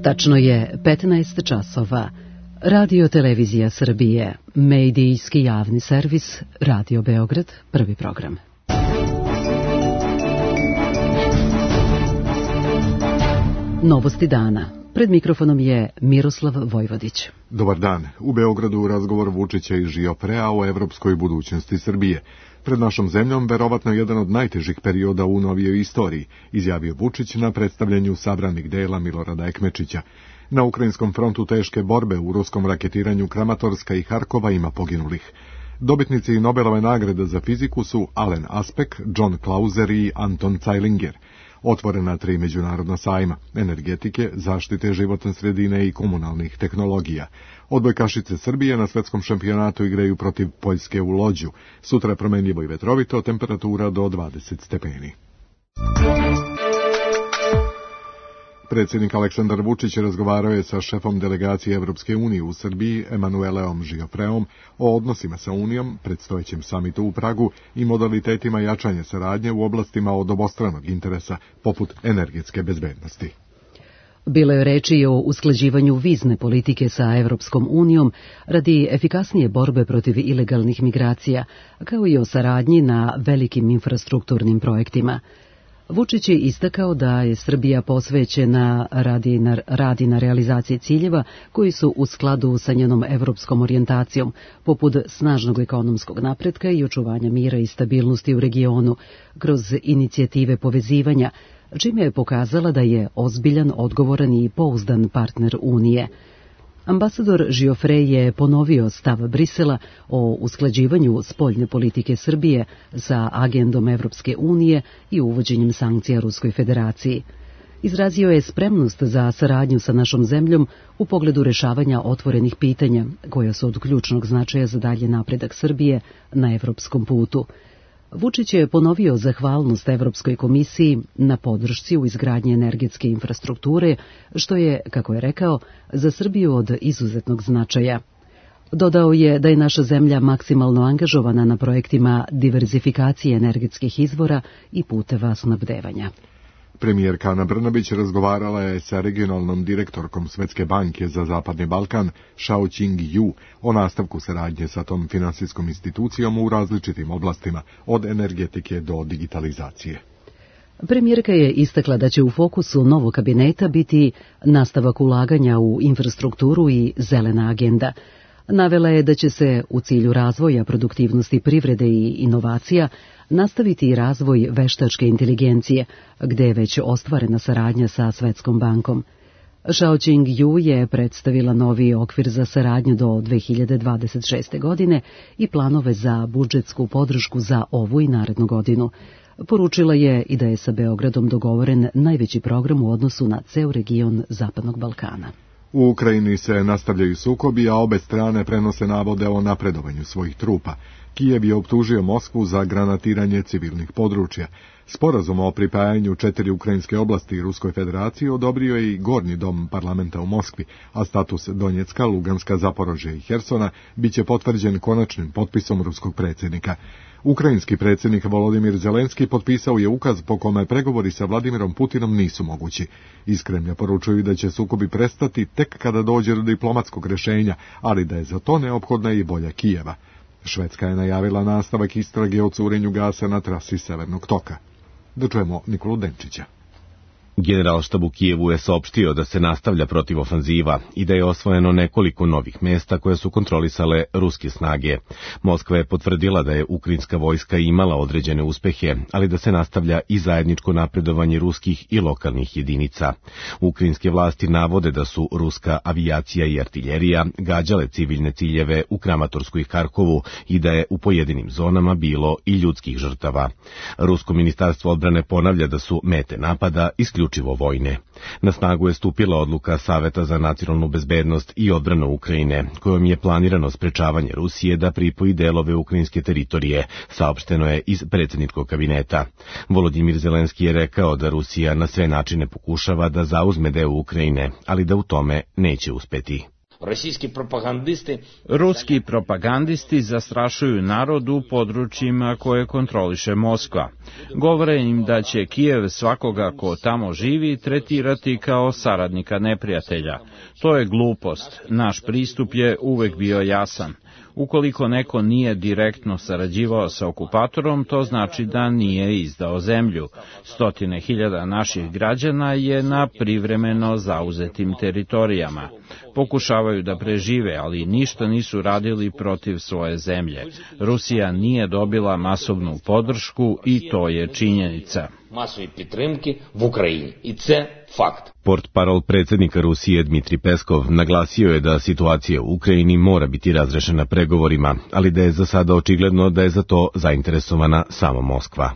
Tačno je 15 časova. Radio Televizija Srbije, medijski javni servis, Radio Beograd, prvi program. Novosti dana. Pred mikrofonom je Miroslav Vojvodić. Dobar dan. U Beogradu razgovor Vučića i Žiofrea o evropskoj budućnosti Srbije. Pred našom zemljom verovatno jedan od najtežih perioda u novijoj istoriji, izjavio Vučić na predstavljanju sabranih dela Milorada Ekmečića. Na ukrajinskom frontu teške borbe u ruskom raketiranju Kramatorska i Harkova ima poginulih. Dobitnici Nobelove nagrade za fiziku su Alen Aspek, John Clauser i Anton Zeilinger. Otvorena 3 međunarodna sajma, energetike, zaštite životne sredine i komunalnih tehnologija. Odbojkašice Srbije na svetskom šampionatu igraju protiv Poljske u Lođu. Sutra promenljivo i vetrovito, temperatura do 20 stepeni. Predsjednik Aleksandar Vučić razgovarao je sa šefom delegacije Evropske unije u Srbiji, Emanueleom Žiofreom, o odnosima sa Unijom, predstojećem samitu u Pragu i modalitetima jačanja saradnje u oblastima od obostranog interesa, poput energetske bezbednosti. Bilo je reči i o usklađivanju vizne politike sa Evropskom unijom radi efikasnije borbe protiv ilegalnih migracija, kao i o saradnji na velikim infrastrukturnim projektima. Vučić je istakao da je Srbija posvećena radi na realizaciji ciljeva koji su u skladu sa njenom evropskom orijentacijom, poput snažnog ekonomskog napretka i očuvanja mira i stabilnosti u regionu, kroz inicijative povezivanja, čime je pokazala da je ozbiljan, odgovoran i pouzdan partner Unije. Ambasador Žiofre je ponovio stav Brisela o usklađivanju spoljne politike Srbije sa agendom Evropske unije i uvođenjem sankcija Ruskoj federaciji. Izrazio je spremnost za saradnju sa našom zemljom u pogledu rešavanja otvorenih pitanja, koja su od ključnog značaja za dalje napredak Srbije na evropskom putu. Vučić je ponovio zahvalnost Evropskoj komisiji na podršci u izgradnji energetske infrastrukture, što je, kako je rekao, za Srbiju od izuzetnog značaja. Dodao je da je naša zemlja maksimalno angažovana na projektima diverzifikacije energetskih izvora i puteva snabdevanja. Premijerka Ana Brnabić razgovarala je sa regionalnom direktorkom Svetske banke za Zapadni Balkan, Xiaoqing Yu, o nastavku saradnje sa tom finansijskom institucijom u različitim oblastima, od energetike do digitalizacije. Premijerka je istakla da će u fokusu novog kabineta biti nastavak ulaganja u infrastrukturu i zelena agenda. Navela je da će se u cilju razvoja produktivnosti privrede i inovacija nastaviti i razvoj veštačke inteligencije, gde je već ostvarena saradnja sa Svetskom bankom. Xiaoqing Yu je predstavila novi okvir za saradnju do 2026. godine i planove za budžetsku podršku za ovu i narednu godinu. Poručila je i da je sa Beogradom dogovoren najveći program u odnosu na ceo region Zapadnog Balkana. U Ukrajini se nastavljaju sukobi, a obe strane prenose navode o napredovanju svojih trupa. Kijev je optužio Moskvu za granatiranje civilnih područja. Sporazum o pripajanju 4 ukrajinske oblasti Ruskoj federaciji odobrio je i Gornji dom parlamenta u Moskvi, a status Donjecka, Luganska, Zaporožja i Hersona biće potvrđen konačnim potpisom ruskog predsjednika. Ukrajinski predsjednik Volodimir Zelenski potpisao je ukaz po kome pregovori sa Vladimirom Putinom nisu mogući. Iz Kremlja poručuju da će sukobi prestati tek kada dođe do diplomatskog rješenja, ali da je za to neophodna i volja Kijeva. Švedska je najavila nastavak istrage o curenju gasa na trasi Severnog toka. Da čujemo Nikolu Denčića. Generalštab u Kijevu je saopštio da se nastavlja protivofanziva i da je osvojeno nekoliko novih mesta koje su kontrolisale ruske snage. Moskva je potvrdila da je ukrajinska vojska imala određene uspehe, ali da se nastavlja i zajedničko napredovanje ruskih i lokalnih jedinica. Ukrajinske vlasti navode da su ruska avijacija i artiljerija gađale civilne ciljeve u Kramatorsku i Harkovu i da je u pojedinim zonama bilo i ljudskih žrtava. Rusko ministarstvo odbrane ponavlja da su mete napada isključivo vojne. Na snagu je stupila odluka Saveta za nacionalnu bezbednost i odbranu Ukrajine, kojom je planirano sprečavanje Rusije da pripoji delove ukrajinske teritorije, saopšteno je iz predsjedničkog kabineta. Volodimir Zelenski je rekao da Rusija na sve načine pokušava da zauzme deo Ukrajine, ali da u tome neće uspeti. Ruski propagandisti zastrašuju narod u područjima koje kontroliše Moskva. Govore im da će Kijev svakoga ko tamo živi tretirati kao saradnika neprijatelja. To je glupost. Naš pristup je uvek bio jasan. Ukoliko neko nije direktno sarađivao sa okupatorom, to znači da nije izdao zemlju. Stotine hiljada naših građana je na privremeno zauzetim teritorijama. Pokušavaju da prežive, ali ništa nisu radili protiv svoje zemlje. Rusija nije dobila masovnu podršku i to je činjenica. Portparol predsjednika Rusije Dmitri Peskov naglasio je da situacija u Ukrajini mora biti razrešena pregovorima, ali da je za sada očigledno da je za to zainteresovana samo Moskva.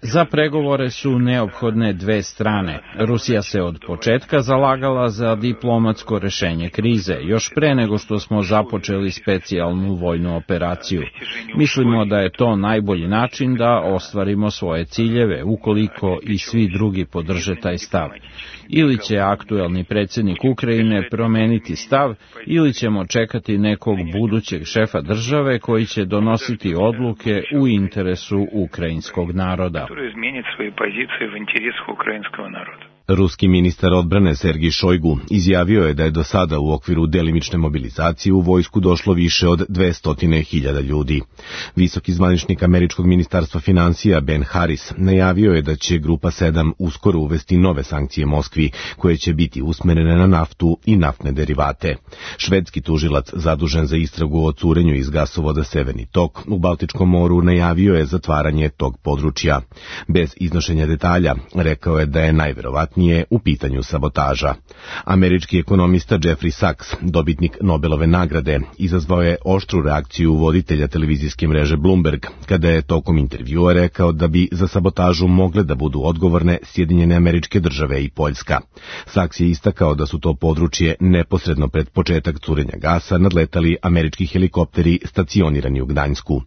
Za pregovore su neophodne dve strane. Rusija se od početka zalagala za diplomatsko rešenje krize, još pre nego što smo započeli specijalnu vojnu operaciju. Mislimo da je to najbolji način da ostvarimo svoje ciljeve, ukoliko i svi drugi podrže taj stav. Ili će aktuelni predsjednik Ukrajine promeniti stav, ili ćemo čekati nekog budućeg šefa države koji će donositi odluke u interesu ukrajinskog naroda. Ruski ministar odbrane Sergij Šojgu izjavio je da je do sada u okviru delimične mobilizacije u vojsku došlo više od 200.000 ljudi. Visoki zvaničnik američkog ministarstva financija Ben Harris najavio je da će Grupa 7 uskoro uvesti nove sankcije Moskvi, koje će biti usmerene na naftu i naftne derivate. Švedski tužilac zadužen za istragu o curenju iz gasovoda Severni tok u Baltičkom moru najavio je zatvaranje tog područja. Bez iznošenja detalja rekao je da je najverovatnije u pitanju sabotaža. Američki ekonomista Jeffrey Sachs, dobitnik Nobelove nagrade, izazvao je oštru reakciju voditelja televizijske mreže Bloomberg, kada je tokom intervjua rekao da bi za sabotažu mogle da budu odgovorne Sjedinjene Američke Države i Poljska. Sachs je istakao da su to područje neposredno pred početak curenja gasa nadletali američki helikopteri stacionirani u Gdańsku.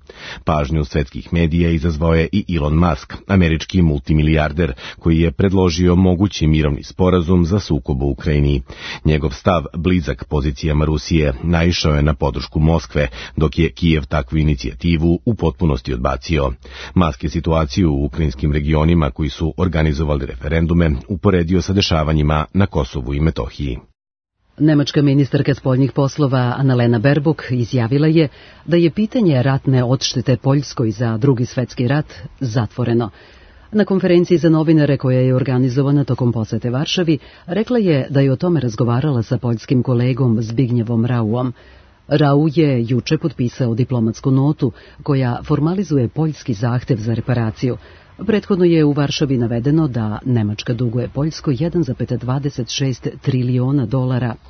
Pažnju svetskih medija izazvao je i Elon Musk, američki multimilijarder, koji je predložio mogući mirovni sporazum za sukob u Ukrajini. Njegov stav, blizak pozicijama Rusije, naišao je na podršku Moskve, dok je Kijev takvu inicijativu u potpunosti odbacio. Musk je situaciju u ukrajinskim regionima koji su organizovali referendume uporedio sa dešavanjima na Kosovu i Metohiji. Nemačka ministarka spoljnih poslova Annalena Baerbock izjavila je da je pitanje ratne odštete Poljskoj za Drugi svjetski rat zatvoreno. Na konferenciji za novinare koja je organizovana tokom posete Varšavi, rekla je da je o tome razgovarala sa poljskim kolegom Zbignjevom Rauom. Rau je juče potpisao diplomatsku notu koja formalizuje poljski zahtev za reparaciju. Prethodno je u Varšavi navedeno da Nemačka duguje Poljskoj $1,26 trilijona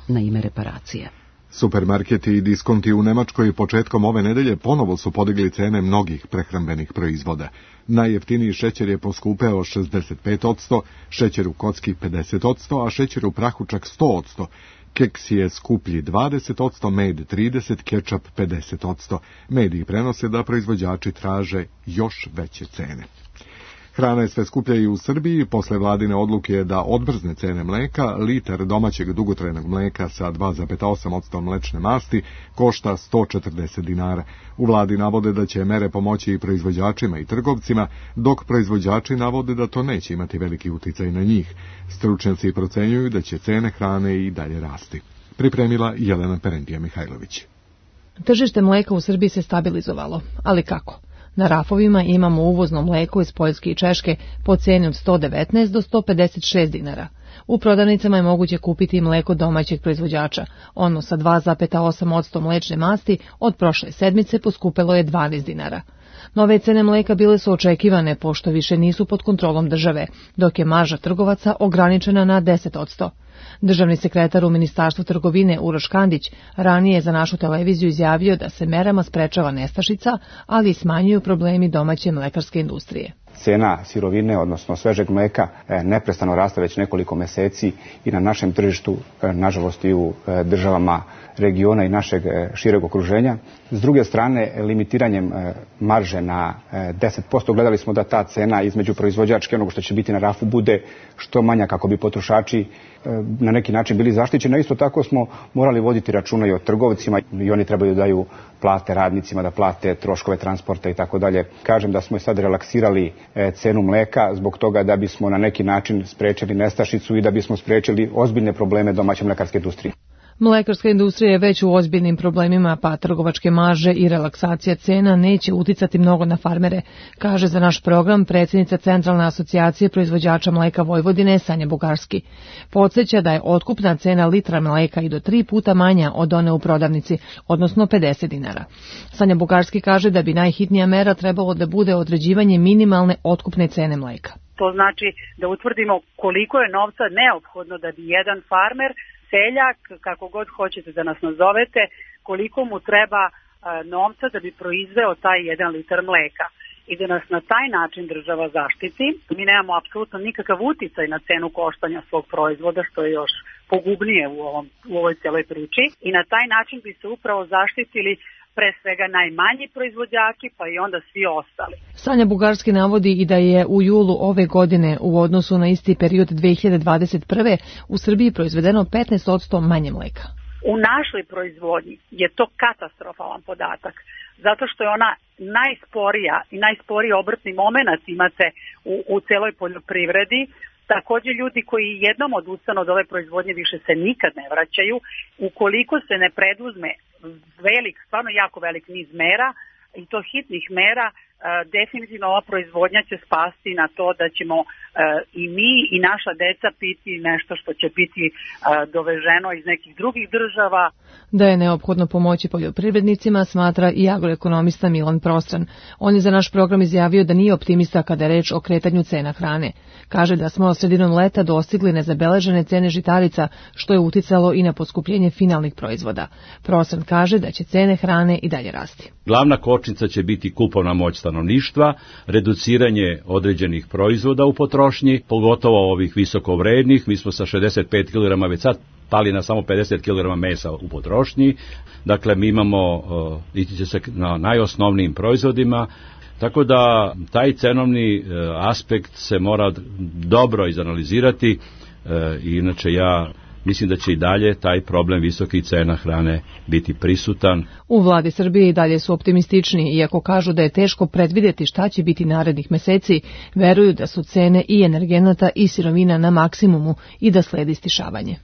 na ime reparacije. Supermarketi i diskonti u Nemačkoj početkom ove nedelje ponovo su podigli cene mnogih prehrambenih proizvoda. Najjeftiniji šećer je poskupeo 65%, šećer u kocki 50%, a šećer u prahu čak 100%. Keks je skuplji 20%, med 30%, kečap 50%. Mediji prenose da proizvođači traže još veće cene. Hrana je sve skuplja i u Srbiji. Posle vladine odluke da odmrzne cene mleka, litar domaćeg dugotrajnog mleka sa 2,8% mlečne masti košta 140 dinara. U vladi navode da će mere pomoći i proizvođačima i trgovcima, dok proizvođači navode da to neće imati veliki uticaj na njih. Stručnjaci procenjuju da će cene hrane i dalje rasti. Pripremila Jelena Perentija Mihajlović. Tržište mleka u Srbiji se stabilizovalo, ali kako? Na rafovima imamo uvozno mleko iz Poljske i Češke po ceni od 119 do 156 dinara. U prodavnicama je moguće kupiti mleko domaćeg proizvođača. Ono sa 2,8% mlečne masti od prošle sedmice poskupelo je 12 dinara. Nove cene mleka bile su očekivane pošto više nisu pod kontrolom države, dok je marža trgovaca ograničena na 10%. Državni sekretar u Ministarstvu trgovine Uroš Kandić ranije za našu televiziju izjavio da se merama sprečava nestašica, ali i smanjuju problemi domaće mlekarske industrije. Cena sirovine, odnosno svežeg mleka, neprestano raste već nekoliko meseci i na našem tržištu, nažalost i u državama regiona i našeg šireg okruženja. S druge strane, limitiranjem marže na 10%, gledali smo da ta cena između proizvođačke, onog što će biti na rafu, bude što manja kako bi potrošači na neki način bili zaštićeni. A isto tako smo morali voditi računa i o trgovcima i oni trebaju da daju plate radnicima, da plate troškove transporta i tako dalje. Kažem da smo sad relaksirali cenu mleka zbog toga da bismo na neki način sprečili nestašicu i da bismo sprečili ozbiljne probleme domaće mlekarske industrije. Mlekarska industrija je već u ozbiljnim problemima, pa trgovačke marže i relaksacija cena neće uticati mnogo na farmere, kaže za naš program predsjednica Centralne asocijacije proizvođača mleka Vojvodine Sanja Bugarski. Podsjeća da je otkupna cena litra mleka i do 3 puta manja od one u prodavnici, odnosno 50 dinara. Sanja Bugarski kaže da bi najhitnija mera trebalo da bude određivanje minimalne otkupne cene mleka. To znači da utvrdimo koliko je novca neophodno da bi jedan farmer, seljak, kako god hoćete da nas nazovete, koliko mu treba novca da bi proizveo taj 1 litar mleka i da nas na taj način država zaštiti. Mi nemamo apsolutno nikakav uticaj na cenu koštanja svog proizvoda, što je još pogubnije u ovoj celoj priči, i na taj način bi se upravo zaštitili pre svega najmanji proizvođači, pa i onda svi ostali. Sanja Bugarski navodi i da je u julu ove godine u odnosu na isti period 2021. u Srbiji proizvedeno 15% manje mleka. U našoj proizvodnji je to katastrofalan podatak, zato što je ona najsporija i najsporiji obrtni momenat imate u celoj poljoprivredi. Takođe, ljudi koji jednom odustanu od ove proizvodnje više se nikad ne vraćaju. Ukoliko se ne preduzme stvarno jako velik niz mera, i to hitnih mera, definitivno ova proizvodnja će spasti na to da ćemo i mi i naša deca piti nešto što će biti doveženo iz nekih drugih država. Da je neophodno pomoći poljoprivrednicima, smatra i agroekonomista Milan Prostran. On je za naš program izjavio da nije optimista kada je reč o kretanju cena hrane. Kaže da smo sredinom leta dostigli nezabeležene cene žitarica, što je uticalo i na poskupljenje finalnih proizvoda. Prostran kaže da će cene hrane i dalje rasti. Glavna kočnica će biti kupovna moć stanovništva, reduciranje određenih proizvoda u potrošnji, pogotovo ovih visokovrednih. Mi smo sa 65 kg već sad pali na samo 50 kg mesa u potrošnji. Dakle, mi imamo, ići se na najosnovnijim proizvodima, tako da taj cenovni aspekt se mora dobro izanalizirati i inače ja mislim da će i dalje taj problem visokih cena hrane biti prisutan. U vladi Srbije i dalje su optimistični, iako kažu da je teško predvidjeti šta će biti narednih meseci, veruju da su cene i energenata i sirovina na maksimumu i da sledi stišavanje.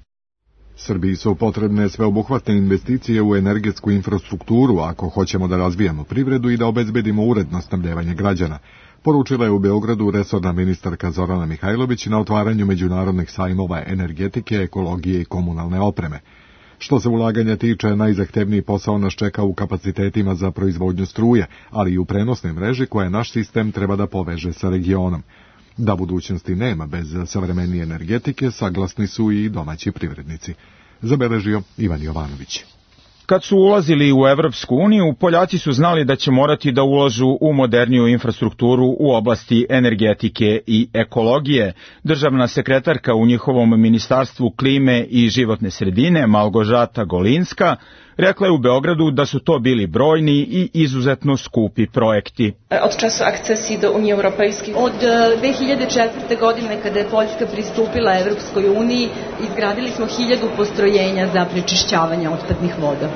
Srbiji su potrebne sveobuhvatne investicije u energetsku infrastrukturu ako hoćemo da razvijamo privredu i da obezbedimo uredno snabdevanje građana, poručila je u Beogradu resorna ministarka Zorana Mihajlović na otvaranju međunarodnih sajmova energetike, ekologije i komunalne opreme. Što se ulaganja tiče, najzahtevniji posao nas čeka u kapacitetima za proizvodnju struje, ali i u prenosnoj mreži koja naš sistem treba da poveže sa regionom. Da budućnosti nema bez savremenije energetike, saglasni su i domaći privrednici. Zabeležio Ivan Jovanović. Kad su ulazili u Evropsku uniju, Poljaci su znali da će morati da ulažu u moderniju infrastrukturu u oblasti energetike i ekologije. Državna sekretarka u njihovom ministarstvu klime i životne sredine, Malgožata Golinska, rekla je u Beogradu da su to bili brojni i izuzetno skupi projekti. Od času akcesije do Unije Europejske. Od 2004. godine kada je Poljska pristupila Evropskoj uniji, izgradili smo 1000 postrojenja za prečišćavanje otpadnih voda.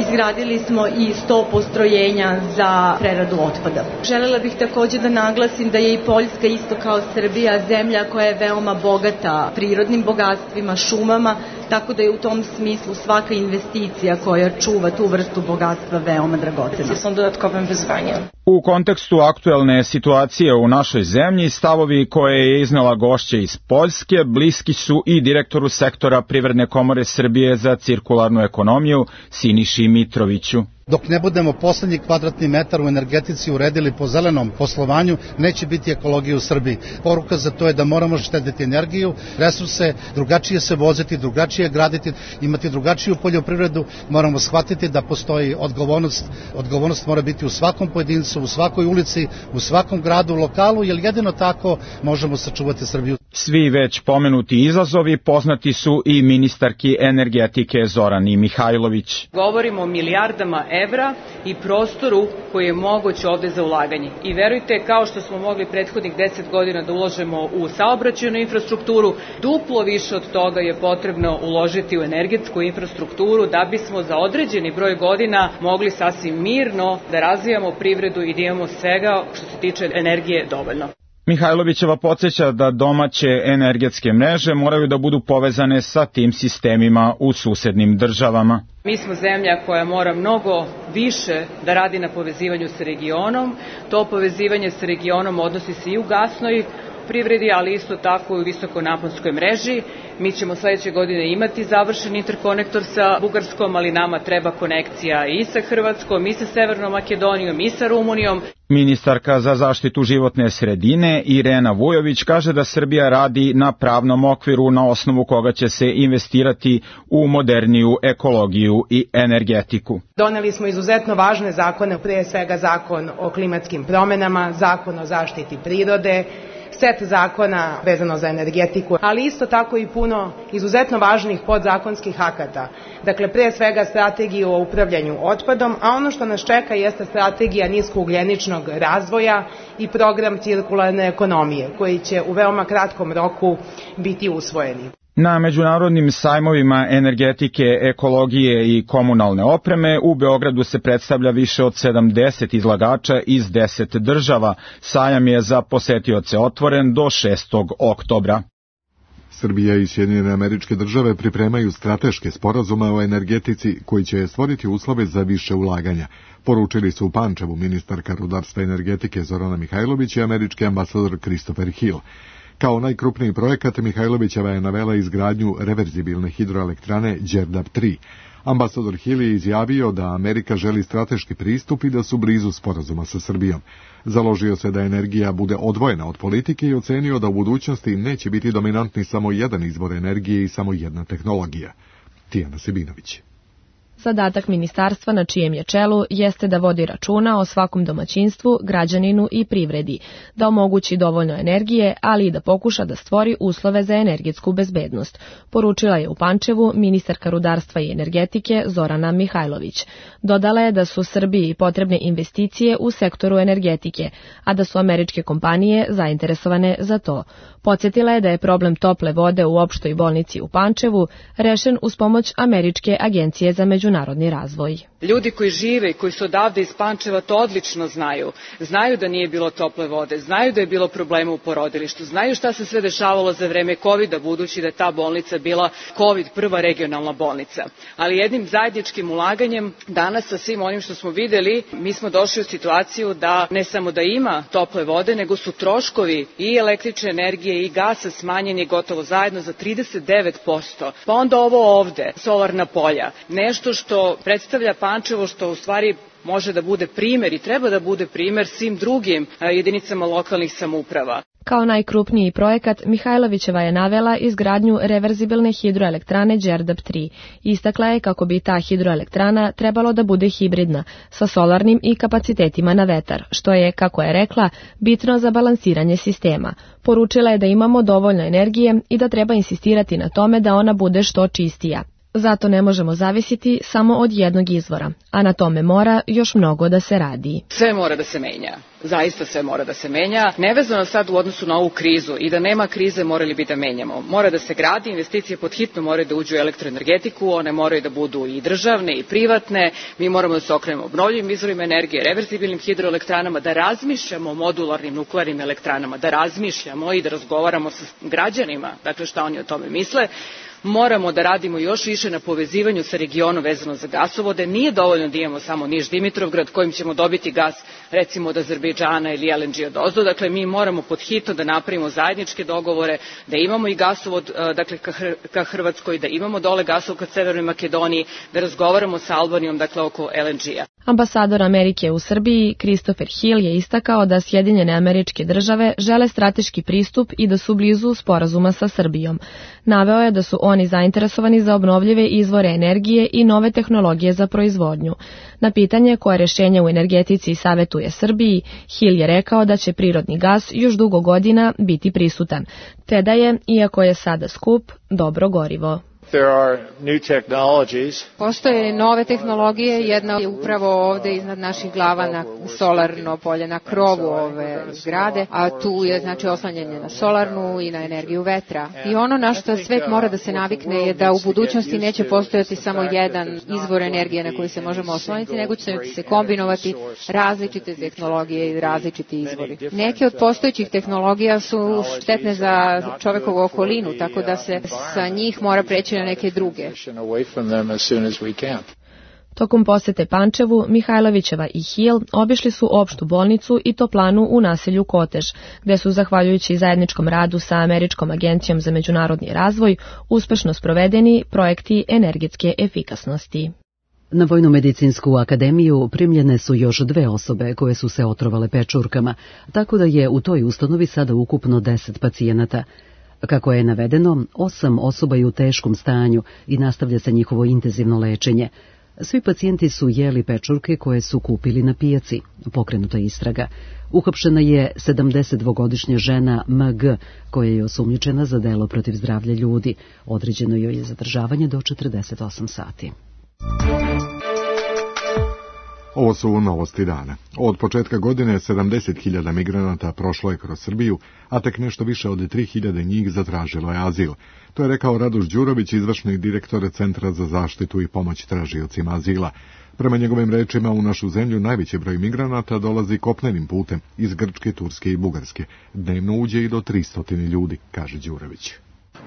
Izgradili smo i 100 postrojenja za preradu otpada. Želela bih također da naglasim da je i Poljska isto kao Srbija zemlja koja je veoma bogata prirodnim bogatstvima, šumama, tako da je u tom smislu svaka investicija koja čuva tu vrstu bogatstva veoma dragocena. Sam dodatkovim vyzvanjem. U kontekstu aktuelne situacije u našoj zemlji, stavovi koje je iznela gošća iz Poljske bliski su i direktoru sektora Privredne komore Srbije za cirkularnu ekonomiju Siniši Mitroviću. Dok ne budemo poslednji kvadratni metar u energetici uredili po zelenom poslovanju, neće biti ekologije u Srbiji. Poruka za to je da moramo štediti energiju, resurse, drugačije se voziti, drugačije graditi, imati drugačiju poljoprivredu. Moramo shvatiti da postoji odgovornost. Odgovornost mora biti u svakom pojedincu, u svakoj ulici, u svakom gradu, lokalu, jer jedino tako možemo sačuvati Srbiju. Svi već pomenuti izazovi poznati su i ministarki energetike Zorani Mihajlović. Govorimo o milijardama evra i prostoru koji je moguć ovde za ulaganje. I verujte, kao što smo mogli prethodnih 10 godina da uložemo u saobraćajnu infrastrukturu, duplo više od toga je potrebno uložiti u energetsku infrastrukturu da bismo za određeni broj godina mogli sasvim mirno da razvijamo privredu i da imamo svega što se tiče energije dovoljno. Mihajlovićeva podsjeća da domaće energetske mreže moraju da budu povezane sa tim sistemima u susednim državama. Mi smo zemlja koja mora mnogo više da radi na povezivanju sa regionom. To povezivanje sa regionom odnosi se i u gasnoj privredi, ali isto tako i u visokonaponskoj mreži. Mi ćemo sledeće godine imati završen interkonektor sa Bugarskom, ali nama treba konekcija i sa Hrvatskom, i sa Severnom Makedonijom, i sa Rumunijom. Ministarka za zaštitu životne sredine Irena Vujović kaže da Srbija radi na pravnom okviru na osnovu koga će se investirati u moderniju ekologiju i energetiku. Doneli smo izuzetno važne zakone, prije svega zakon o klimatskim promenama, zakon o zaštiti prirode, set zakona vezano za energetiku, ali isto tako i puno izuzetno važnih podzakonskih akata. Dakle, pre svega strategiju o upravljanju otpadom, a ono što nas čeka jeste strategija niskougljeničnog razvoja i program cirkularne ekonomije, koji će u veoma kratkom roku biti usvojeni. Na međunarodnim sajmovima energetike, ekologije i komunalne opreme u Beogradu se predstavlja više od 70 izlagača iz 10 država. Sajam je za posetioce otvoren do 6. oktobra. Srbija i Sjedinjene Američke Države pripremaju strateške sporazume o energetici koji će stvoriti uslove za više ulaganja. Poručili su u Pančevu ministarka rudarstva i energetike Zorana Mihajlović i američki ambasador Christopher Hill. Kao najkrupniji projekat Mihajlovićeva je navela izgradnju reverzibilne hidroelektrane Đerdap 3. Ambasador Hill je izjavio da Amerika želi strateški pristup i da su blizu sporazuma sa Srbijom. Založio se da energija bude odvojena od politike i ocenio da u budućnosti neće biti dominantni samo jedan izvor energije i samo jedna tehnologija. Tijana Sebinović. Zadatak ministarstva na čijem je čelu jeste da vodi računa o svakom domaćinstvu, građaninu i privredi, da omogući dovoljno energije, ali i da pokuša da stvori uslove za energetsku bezbednost, poručila je u Pančevu ministarka rudarstva i energetike Zorana Mihajlović. Dodala je da su Srbiji potrebne investicije u sektoru energetike, a da su američke kompanije zainteresovane za to. Podsjetila je da je problem tople vode u opštoj bolnici u Pančevu rešen uz pomoć Američke agencije za međunarodni razvoj. Ljudi koji žive i koji su odavde iz Pančeva to odlično znaju. Znaju da nije bilo tople vode, znaju da je bilo problema u porodilištu, znaju šta se sve dešavalo za vreme COVID-a, budući da je ta bolnica bila COVID prva regionalna bolnica. Ali jednim zajedničkim ulaganjem danas sa svim onim što smo videli, mi smo došli u situaciju da ne samo da ima tople vode, nego su troškovi i električne energije i gasa smanjeni gotovo zajedno za 39%. Pa onda ovo ovde, solarna polja, nešto što predstavlja Pančevo, što u stvari može da bude primer i treba da bude primer svim drugim jedinicama lokalnih samouprava. Kao najkrupniji projekat, Mihajlovićeva je navela izgradnju reverzibilne hidroelektrane Đerdap 3. Istakla je kako bi ta hidroelektrana trebalo da bude hibridna, sa solarnim i kapacitetima na vetar, što je, kako je rekla, bitno za balansiranje sistema. Poručila je da imamo dovoljno energije i da treba insistirati na tome da ona bude što čistija. Zato ne možemo zavisiti samo od jednog izvora, a na tome mora još mnogo da se radi. Sve mora da se menja. Zaista sve mora da se menja. Nevezano sad u odnosu na ovu krizu i da nema krize morali bi da menjamo. Mora da se gradi, investicije pod hitno moraju da uđu u elektroenergetiku, one moraju da budu i državne i privatne. Mi moramo da se okrenemo obnovljivim izvorima energije, reverzibilnim hidroelektranama, da razmišljamo o modularnim nuklearnim elektranama, da razmišljamo i da razgovaramo sa građanima, dakle šta oni o tome misle. Moramo da radimo još više na povezivanju sa regionom vezano za gasovode. Nije dovoljno da imamo samo Niš-Dimitrovgrad kojim ćemo dobiti gas recimo od Azerbejdžana ili LNG odozdo. Dakle, mi moramo pod hitno da napravimo zajedničke dogovore, da imamo i gasovod dakle, ka Hrvatskoj, da imamo dole gasovod ka Severnoj Makedoniji, da razgovaramo sa Albanijom dakle, oko LNG-a. Ambasador Amerike u Srbiji, Christopher Hill, je istakao da Sjedinjene Američke Države žele strateški pristup i da su blizu sporazuma sa Srbijom. Naveo je da su oni zainteresovani za obnovljive izvore energije i nove tehnologije za proizvodnju. Na pitanje koje rešenje u energetici savetuje Srbiji, Hill je rekao da će prirodni gas još dugo godina biti prisutan, te da je, iako je sada skup, dobro gorivo. Postoje nove tehnologije, jedna je upravo ovde iznad naših glava na solarno polje, na krovu ove zgrade, a tu je znači oslanjanje na solarnu i na energiju vetra. I ono na što svet mora da se navikne je da u budućnosti neće postojati samo jedan izvor energije na koji se možemo osloniti, nego će se kombinovati različite tehnologije i različiti izvori. Neke od postojećih tehnologija su štetne za čovekovu okolinu, tako da se sa njih mora preći na neke druge. Tokom posete Pančevu, Mihajlovićeva i Hill obišli su opštu bolnicu i toplanu u naselju Kotež, gde su, zahvaljujući zajedničkom radu sa Američkom agencijom za međunarodni razvoj, uspešno sprovedeni projekti energetske efikasnosti. Na Vojno-medicinsku akademiju primljene su još 2 osobe koje su se otrovale pečurkama, tako da je u toj ustanovi sada ukupno 10 pacijenata. Kako je navedeno, 8 osoba je u teškom stanju i nastavlja se njihovo intenzivno lečenje. Svi pacijenti su jeli pečurke koje su kupili na pijaci. Pokrenuta je istraga. Uhapšena je 72-godišnja žena MG, koja je osumnjičena za delo protiv zdravlja ljudi. Određeno joj je zadržavanje do 48 sati. Ovo su novosti dana. Od početka godine 70.000 migranata prošlo je kroz Srbiju, a tek nešto više od 3.000 njih zatražilo je azil. To je rekao Raduš Đurović, izvršni direktor Centra za zaštitu i pomoć tražiocima azila. Prema njegovim rečima, u našu zemlju najveći broj migranata dolazi kopnenim putem iz Grčke, Turske i Bugarske. Dnevno uđe i do 300 ljudi, kaže Đurović.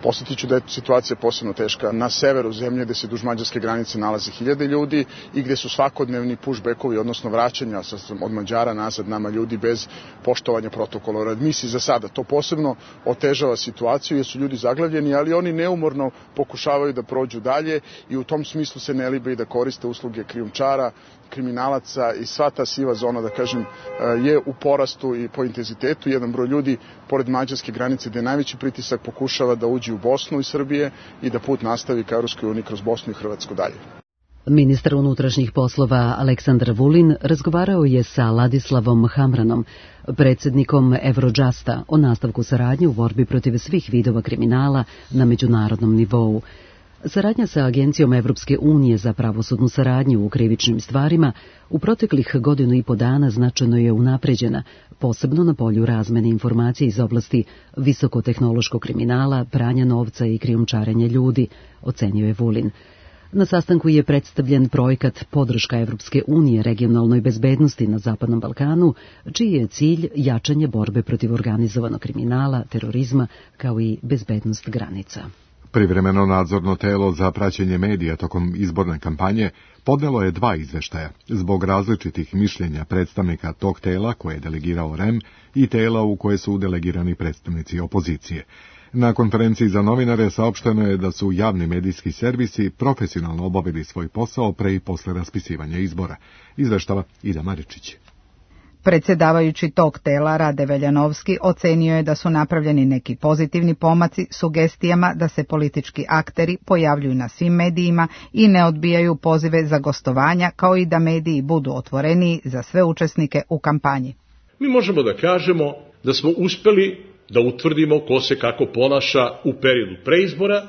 Posjetiću da je situacija posebno teška na severu zemlje, gde se duž mađarske granice nalazi 1000 ljudi i gde su svakodnevni pushbackovi, odnosno vraćanja od Mađara nazad nama ljudi bez poštovanja protokola o readmisiji za sada. To posebno otežava situaciju jer su ljudi zaglavljeni, ali oni neumorno pokušavaju da prođu dalje i u tom smislu se ne libe i da koriste usluge krijumčara, kriminalaca i sva ta siva zona, da kažem, je u porastu i po intenzitetu. Jedan broj ljudi pored mađarske granice gde je najveći pritisak pokušava da uđe u Bosnu i Srbije i da put nastavi ka Europskoj uniji kroz Bosnu i Hrvatsku dalje. Ministar unutrašnjih poslova Aleksandar Vulin razgovarao je sa Ladislavom Hamranom, predsjednikom Eurojusta, o nastavku saradnje u borbi protiv svih vidova kriminala na međunarodnom nivou. Saradnja sa Agencijom Evropske unije za pravosudnu saradnju u krivičnim stvarima u proteklih 1,5 godina značajno je unapređena, posebno na polju razmene informacija iz oblasti visokotehnološkog kriminala, pranja novca i krijumčarenja ljudi, ocenio je Vulin. Na sastanku je predstavljen projekat Podrška Evropske unije regionalnoj bezbednosti na Zapadnom Balkanu, čiji je cilj jačanje borbe protiv organizovanog kriminala, terorizma, kao i bezbednost granica. Privremeno nadzorno telo za praćenje medija tokom izborne kampanje podnelo je 2 izveštaja zbog različitih mišljenja predstavnika tog tela koje je delegirao REM i tela u koje su delegirani predstavnici opozicije. Na konferenciji za novinare saopšteno je da su javni medijski servisi profesionalno obavili svoj posao pre i posle raspisivanja izbora, izveštava Ida Maričić. Predsjedavajući tog tela Rade Veljanovski ocenio je da su napravljeni neki pozitivni pomaci sugestijama da se politički akteri pojavljuju na svim medijima i ne odbijaju pozive za gostovanja, kao i da mediji budu otvoreniji za sve učesnike u kampanji. Mi možemo da kažemo da smo uspeli da utvrdimo ko se kako ponaša u periodu preizbora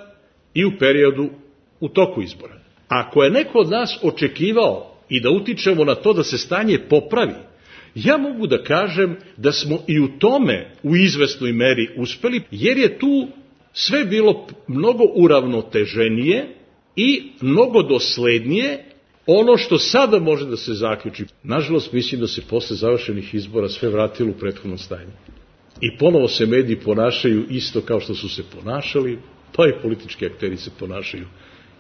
i u periodu u toku izbora. Ako je neko od nas očekivao i da utičemo na to da se stanje popravi, ja mogu da kažem da smo i u tome u izvesnoj meri uspeli, jer je tu sve bilo mnogo uravnoteženije i mnogo doslednije ono što sada može da se zaključi. Nažalost, mislim da se posle završenih izbora sve vratilo u prethodno stanje. I ponovo se mediji ponašaju isto kao što su se ponašali, pa i politički akteri se ponašaju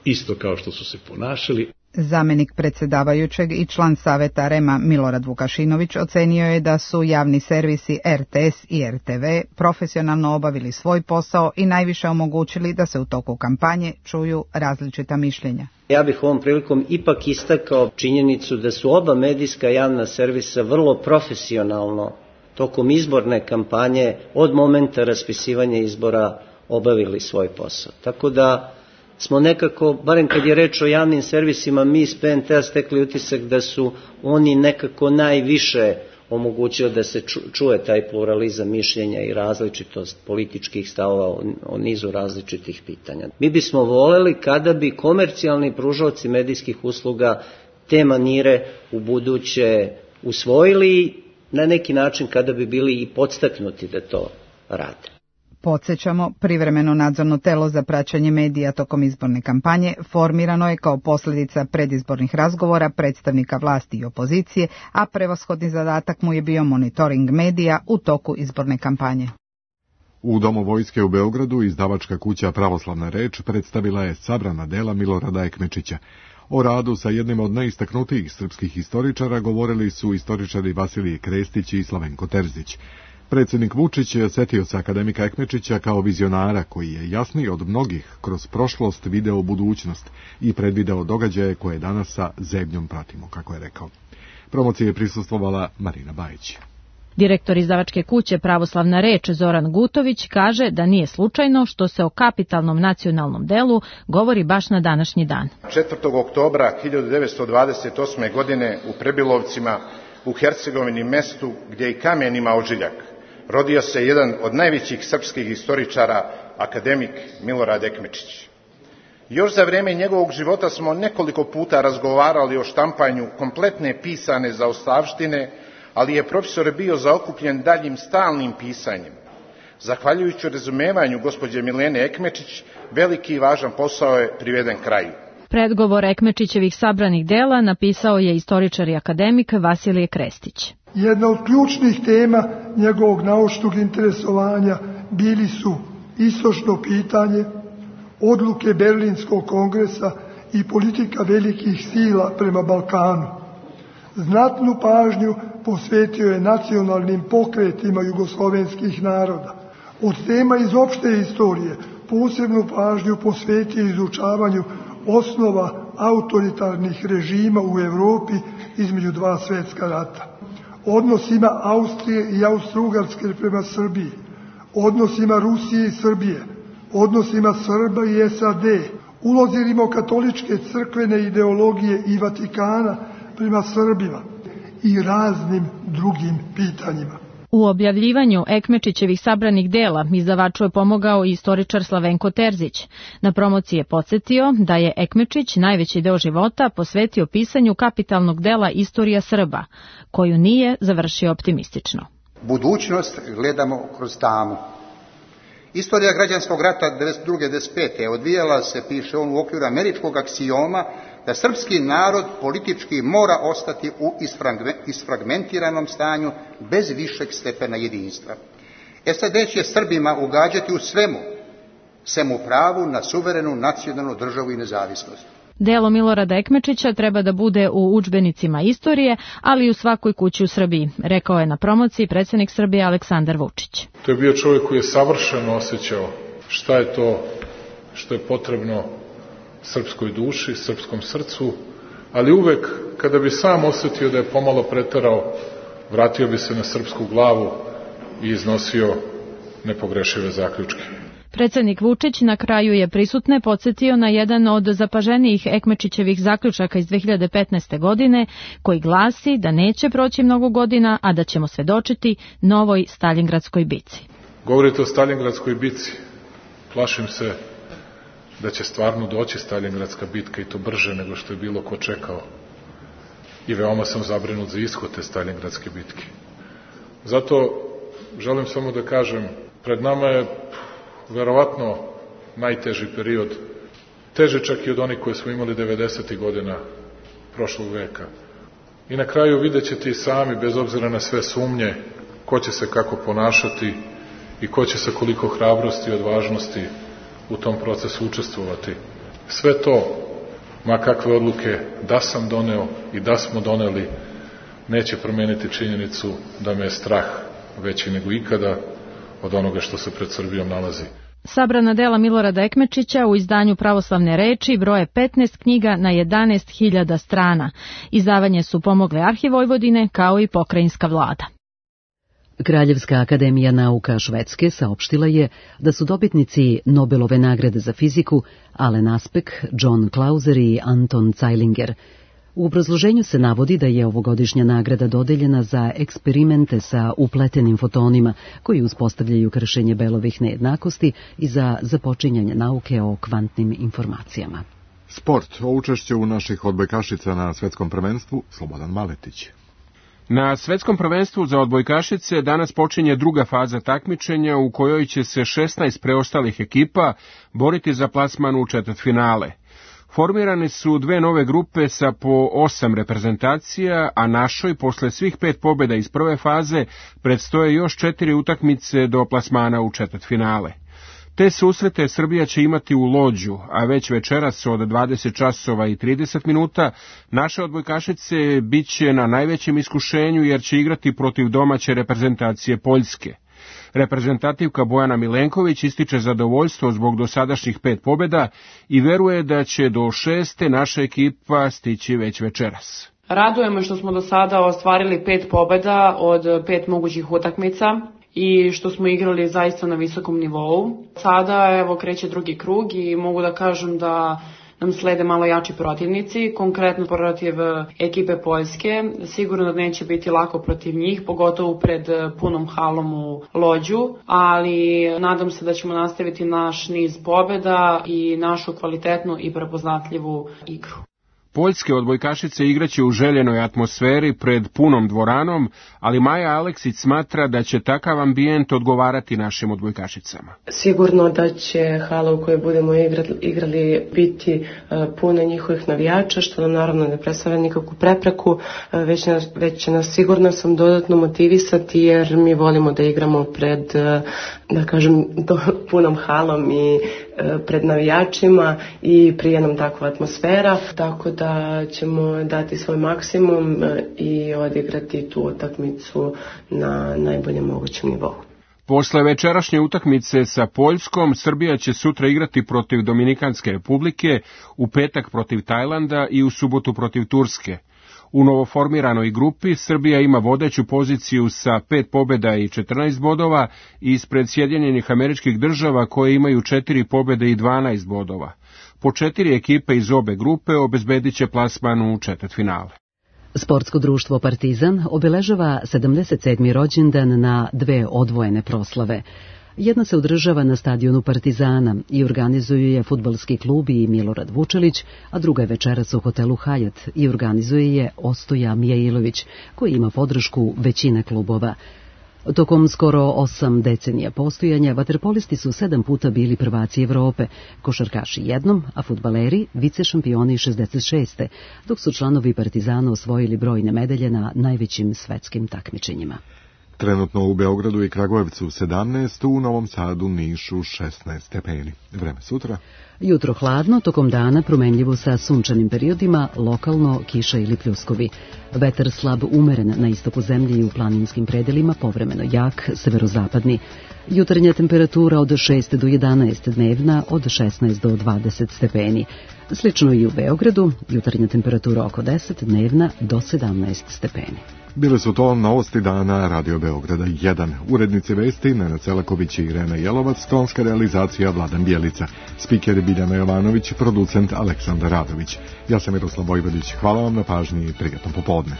isto kao što su se ponašali. Zamenik predsjedavajućeg i član saveta REM-a Milorad Vukašinović ocenio je da su javni servisi RTS i RTV profesionalno obavili svoj posao i najviše omogućili da se u toku kampanje čuju različita mišljenja. Ja bih ovom prilikom ipak istakao činjenicu da su oba medijska javna servisa vrlo profesionalno tokom izborne kampanje od momenta raspisivanja izbora obavili svoj posao. Tako da smo nekako, barem kad je reč o javnim servisima, mi iz PNT-a stekli utisak da su oni nekako najviše omogućio da se čuje taj pluralizam mišljenja i različitost političkih stavova o nizu različitih pitanja. Mi bismo voleli kada bi komercijalni pružaoci medijskih usluga te manire u buduće usvojili, na neki način kada bi bili i podstaknuti da to rade. Podsjećamo, privremeno nadzorno telo za praćenje medija tokom izborne kampanje formirano je kao posljedica predizbornih razgovora predstavnika vlasti i opozicije, a prevashodni zadatak mu je bio monitoring medija u toku izborne kampanje. U Domu vojske u Beogradu izdavačka kuća Pravoslavna reč predstavila je sabrana dela Milorada Ekmečića. O radu sa jednim od najistaknutijih srpskih historičara govorili su istoričari Vasilije Krestić i Slavenko Terzić. Predsjednik Vučić setio se akademika Ekmečića kao vizionara koji je jasniji od mnogih kroz prošlost video budućnost i predvideo događaje koje danas sa zebnjom pratimo, kako je rekao. Promociji je prisustvovala Marina Bajić. Direktor izdavačke kuće Pravoslavna reč Zoran Gutović kaže da nije slučajno što se o kapitalnom nacionalnom delu govori baš na današnji dan. 4. oktobra 1928. godine u Prebilovcima u Hercegovini, mestu gdje i kamen ima ožiljak, rodio se jedan od najvećih srpskih historičara, akademik Milorad Ekmečić. Još za vrijeme njegovog života smo nekoliko puta razgovarali o štampanju kompletne pisane zaostavštine, ali je profesor bio zaokupljen daljim stalnim pisanjem. Zahvaljujući razumevanju gospođe Milene Ekmečić, veliki i važan posao je priveden kraju. Predgovor Ekmečićevih sabranih dela napisao je istoričar i akademik Vasilije Krestić. Jedna od ključnih tema njegovog naučnog interesovanja bili su istočno pitanje, odluke Berlinskog kongresa i politika velikih sila prema Balkanu. Znatnu pažnju posvetio je nacionalnim pokretima jugoslovenskih naroda. Od tema iz opšte istorije posebnu pažnju posvetio izučavanju osnova autoritarnih režima u Europi između dva svjetska rata. Odnosima Austrije i Austro-Ugarske prema Srbiji, odnosima Rusije i Srbije, odnosima Srba i SAD, ulozi rimokatoličke crkvene ideologije i Vatikana prema Srbima i raznim drugim pitanjima. U objavljivanju Ekmečićevih sabranih dela izdavaču je pomogao i istoričar Slavenko Terzić. Na promociji je podsjetio da je Ekmečić najveći deo života posvetio pisanju kapitalnog dela Istorija Srba, koju nije završio optimistično. Budućnost gledamo kroz tamu. Istorija građanskog rata 1992-1995. odvijala se, piše on, u okviru američkog aksioma da srpski narod politički mora ostati u isfragmentiranom stanju bez višeg stepena jedinstva. SAD će Srbima ugađati u svemu, sem u pravu na suverenu nacionalnu državu i nezavisnost. Delo Milorada Ekmečića treba da bude u udžbenicima istorije, ali i u svakoj kući u Srbiji, rekao je na promociji predsjednik Srbije Aleksandar Vučić. To je bio čovjek koji je savršeno osjećao šta je to što je potrebno srpskoj duši, srpskom srcu, ali uvek kada bi sam osjetio da je pomalo preterao, vratio bi se na srpsku glavu i iznosio nepogrešive zaključke. Predsjednik Vučić na kraju je prisutne podsjetio na jedan od zapaženijih Ekmečićevih zaključaka iz 2015. godine, koji glasi da neće proći mnogo godina, a da ćemo svedočiti novoj Staljingradskoj bici. Govorite o Staljingradskoj bici. Plašim se da će stvarno doći Staljingradska bitka i to brže nego što je bilo ko čekao. I veoma sam zabrinut za ishod te Staljingradske bitke. Zato želim samo da kažem, pred nama je verovatno najteži period, teži čak i od onih koje smo imali 90. godina prošlog veka. I na kraju vidjet ćete i sami, bez obzira na sve sumnje, ko će se kako ponašati i ko će sa koliko hrabrosti i odvažnosti u tom procesu učestvovati. Sve to, ma kakve odluke da sam doneo i da smo doneli, neće promeniti činjenicu da me je strah veći nego ikada od onoga što se pred Srbijom nalazi. Sabrana dela Milorada Ekmečića u izdanju Pravoslavne reči broje 15 knjiga na 11.000 strana. Izdavanje su pomogle Arhiv Vojvodine kao i pokrajinska vlada. Kraljevska akademija nauka Švedske saopštila je da su dobitnici Nobelove nagrade za fiziku Alen Aspek, John Clauser i Anton Zeilinger. U obrazloženju se navodi da je ovogodišnja nagrada dodeljena za eksperimente sa upletenim fotonima koji uspostavljaju kršenje Bellovih nejednakosti i za započinjanje nauke o kvantnim informacijama. Sport, o učešću naših odbojkašica na svetskom prvenstvu, Slobodan Maletić. Na svetskom prvenstvu za odbojkašice danas počinje druga faza takmičenja u kojoj će se 16 preostalih ekipa boriti za plasman u četvrtfinale. Formirane su dve nove grupe sa po 8 reprezentacija, a našoj, posle svih 5 pobjeda iz prve faze, predstoje još 4 utakmice do plasmana u četvrtfinale. Te susrete Srbija će imati u Lođu, a već večeras od 20 časova i 30 minuta naše odbojkašice biće na najvećem iskušenju jer će igrati protiv domaće reprezentacije Poljske. Reprezentativka Bojana Milenković ističe zadovoljstvo zbog dosadašnjih 5 pobjeda i veruje da će do 6. naša ekipa stići već večeras. Radujemo što smo do sada ostvarili 5 pobjeda od 5 mogućih utakmica i što smo igrali zaista na visokom nivou. Sada evo kreće drugi krug i mogu da kažem da nam slede malo jači protivnici, konkretno protiv ekipe Poljske. Sigurno da neće biti lako protiv njih, pogotovo pred punom halom u Lođu, ali nadam se da ćemo nastaviti naš niz pobjeda i našu kvalitetnu i prepoznatljivu igru. Poljske odbojkašice igraće u željenoj atmosferi pred punom dvoranom, ali Maja Aleksić smatra da će takav ambijent odgovarati našim odbojkašicama. Sigurno da će hala u kojoj budemo igrali biti puna njihovih navijača, što nam naravno ne predstavlja nikakvu prepreku, već će nas sigurno sam dodatno motivisati jer mi volimo da igramo pred, da kažem, punom halom i pred navijačima i prije nam takva atmosfera, tako da ćemo dati svoj maksimum i odigrati tu utakmicu na najboljem mogućem nivou. Posle večerašnje utakmice sa Poljskom, Srbija će sutra igrati protiv Dominikanske republike, u petak protiv Tajlanda i u subotu protiv Turske. U novoformiranoj grupi Srbija ima vodeću poziciju sa 5 pobjeda i 14 bodova ispred Sjedinjenih Američkih Država koje imaju 4 pobjede i 12 bodova. Po 4 ekipe iz obe grupe obezbedit će plasman u četvrtfinale. Sportsko društvo Partizan obeležava 77. rođendan na 2 odvojene proslave. Jedna se održava na stadionu Partizana i organizuju je fudbalski klub i Milorad Vučelić, a druga je večeras u hotelu Hajat i organizuje je Ostoja Mijailović, koji ima podršku većine klubova. Tokom skoro 8 decenija postojanja, vaterpolisti su 7 puta bili prvaci Evrope, košarkaši jednom, a fudbaleri vice šampioni 66. dok su članovi Partizana osvojili brojne medalje na najvećim svetskim takmičenjima. Trenutno u Beogradu i Kragujevcu 17, u Novom Sadu, Nišu 16 stepeni. Vreme sutra. Jutro hladno, tokom dana promenljivo sa sunčanim periodima, lokalno kiša ili pljuskovi. Vetar slab umeren na istoku zemlje i u planinskim predelima, povremeno jak, severozapadni. Jutarnja temperatura od 6 do 11, dnevna od 16 do 20 stepeni. Slično i u Beogradu, jutarnja temperatura oko 10, dnevna do 17 stepeni. Bile su to novosti dana Radio Beograda 1. Urednici vesti Nenad Celaković i Irena Jelovac, tonska realizacija Vladan Bjelica, spiker Biljana Jovanović, producent Aleksandar Radović. Ja sam Miroslav Vojvodić. Hvala vam na pažnji i prijatno popodne.